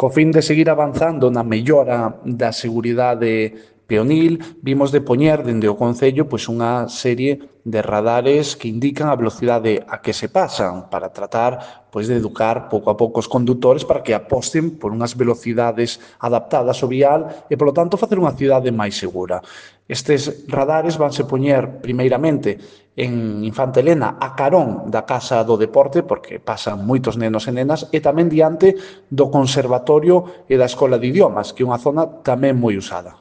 Co fin de seguir avanzando na mellora da seguridade peonil, vimos de poñer dende o Concello unha serie de radares que indican a velocidade a que se pasan para tratar de educar pouco a pouco os condutores para que aposten por unhas velocidades adaptadas ao vial e, polo tanto, facer unha cidade máis segura. Estes radares vanse poñer primeiramente en Infanta Elena a carón da Casa do Deporte, porque pasan moitos nenos e nenas, e tamén diante do Conservatorio e da Escola de Idiomas, que é unha zona tamén moi usada.